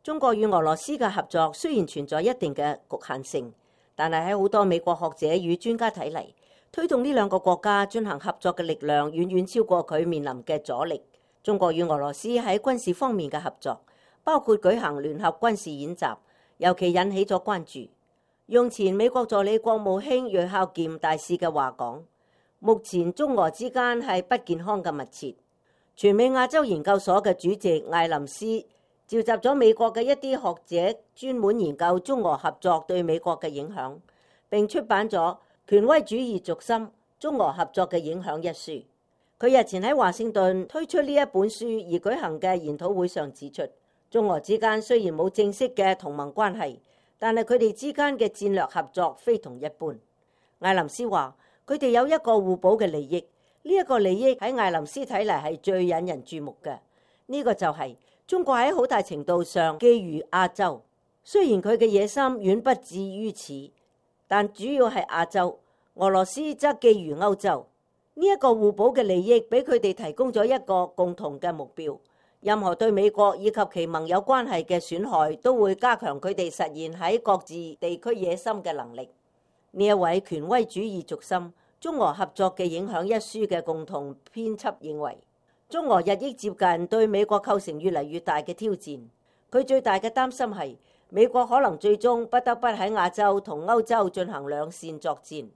中國與俄羅斯嘅合作雖然存在一定嘅局限性，但係喺好多美國學者與專家睇嚟，推動呢兩個國家進行合作嘅力量遠遠超過佢面臨嘅阻力。中國與俄羅斯喺軍事方面嘅合作，包括舉行聯合軍事演習，尤其引起咗關注。用前美國助理國務卿芮孝儉大使嘅話講，目前中俄之間係不健康嘅密切。全美亞洲研究所嘅主席艾林斯召集咗美國嘅一啲學者，專門研究中俄合作對美國嘅影響，並出版咗《權威主義軸心：中俄合作嘅影響》一書。佢日前喺華盛頓推出呢一本書而舉行嘅研討會上指出，中俄之間雖然冇正式嘅同盟關係，但係佢哋之間嘅戰略合作非同一般。艾林斯話，佢哋有一個互補嘅利益，呢一個利益喺艾林斯睇嚟係最引人注目嘅。呢個就係中國喺好大程度上覬覦亞洲，雖然佢嘅野心遠不至於此，但主要係亞洲。俄羅斯則覬覦歐洲。呢一個互補嘅利益俾佢哋提供咗一個共同嘅目標。任何對美國以及其盟友關係嘅損害，都會加強佢哋實現喺各自地區野心嘅能力。呢一位權威主義軸心中俄合作嘅影響一書嘅共同編輯認為，中俄日益接近對美國構成越嚟越大嘅挑戰。佢最大嘅擔心係美國可能最終不得不喺亞洲同歐洲進行兩線作戰。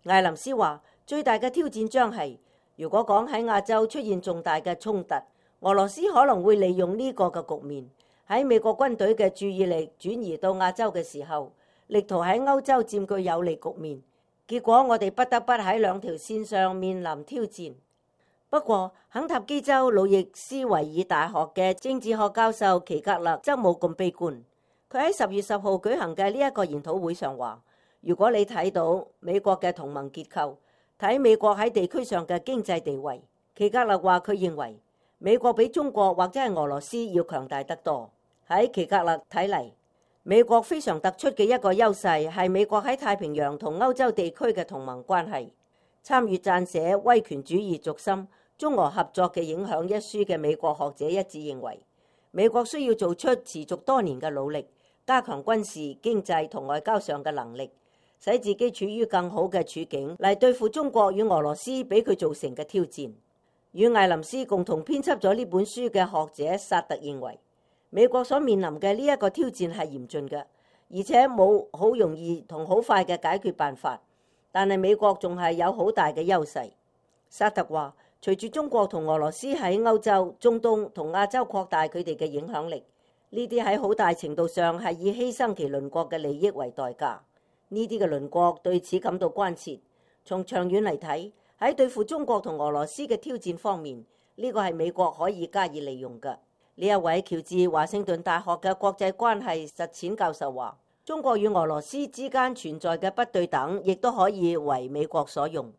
艾林斯話，最大嘅挑戰將係，如果講喺亞洲出現重大嘅衝突，俄羅斯可能會利用呢個嘅局面，喺美國軍隊嘅注意力轉移到亞洲嘅時候，力圖喺歐洲佔據有利局面。結果我哋不得不喺兩條線上面臨挑戰。不過，肯塔基州路易斯維爾大學嘅政治學教授奇格勒則冇咁悲觀。佢喺10月10號舉行嘅呢一個研討會上話，如果你睇到美國嘅同盟結構，睇美國喺地區上嘅經濟地位，奇格勒話佢認為美國比中國或者係俄羅斯要強大得多。喺奇格勒睇嚟，美國非常突出嘅一個優勢係美國喺太平洋同歐洲地區嘅同盟關係。參與撰寫《威權主義軸心：中俄合作嘅影響》一書嘅美國學者一致認為，美國需要做出持續多年嘅努力，加強軍事、經濟同外交上嘅能力，使自己處於更好嘅處境嚟對付中國與俄羅斯俾佢造成嘅挑戰。與艾林斯共同編輯咗呢本書嘅學者薩特認為，美國所面臨嘅呢一個挑戰係嚴峻嘅，而且冇好容易同好快嘅解決辦法。但係美國仲係有好大嘅優勢。薩特話，隨住中國同俄羅斯喺歐洲、中東同亞洲擴大佢哋嘅影響力，呢啲喺好大程度上係以犧牲其鄰國嘅利益為代價。呢啲嘅鄰國對此感到關切。從長遠嚟睇，喺對付中國同俄羅斯嘅挑戰方面，呢個係美國可以加以利用嘅。呢一位喬治華盛頓大學嘅國際關係實踐教授話，中國與俄羅斯之間存在嘅不對等，亦都可以為美國所用。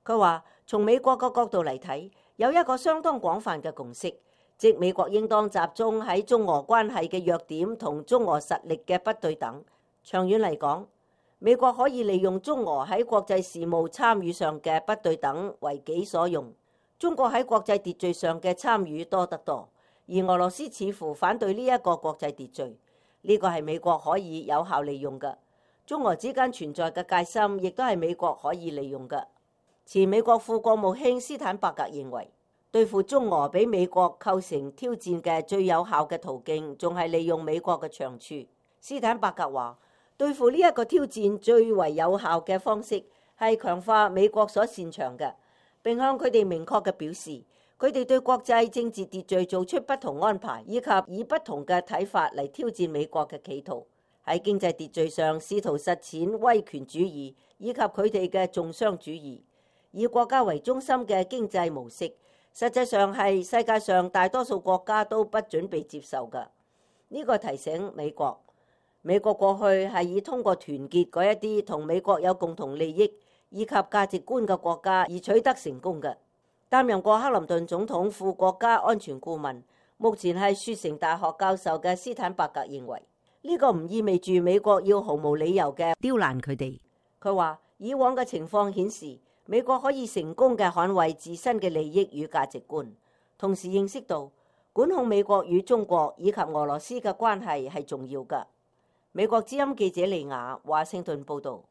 佢話，從美國嘅角度嚟睇，有一個相當廣泛嘅共識，即美國應當集中喺中俄關係嘅弱點同中俄實力嘅不對等。長遠嚟講，美國可以利用中俄喺國際事務參與上嘅不對等為己所用。中國喺國際秩序上嘅參與多得多，而俄羅斯似乎反對呢一個國際秩序。呢個係美國可以有效利用嘅。中俄之間存在嘅戒心，亦都係美國可以利用嘅。前美國副國務卿斯坦伯格認為，對付中俄俾美國構成挑戰嘅最有效嘅途徑，仲係利用美國嘅長處。斯坦伯格話，對付呢一個挑戰最為有效嘅方式係強化美國所擅長嘅，並向佢哋明確嘅表示，佢哋對國際政治秩序做出不同安排，以及以不同嘅睇法嚟挑戰美國嘅企圖。喺經濟秩序上試圖實踐威權主義，以及佢哋嘅重商主義，以國家為中心嘅經濟模式，實際上係世界上大多數國家都不準備接受嘅。呢個提醒美國過去係以通過團結嗰一啲同美國有共同利益以及價值觀嘅國家而取得成功嘅。擔任過克林頓總統副國家安全顧問，目前係雪城大學教授嘅斯坦伯格認為，呢個唔意味住美國要毫無理由嘅刁難佢哋。佢話，以往嘅情況顯示，美國可以成功嘅捍衛自身嘅利益與價值觀，同時認識到管控美國與中國以及俄羅斯嘅關係係重要㗎。美國之音記者利亞華盛頓報導。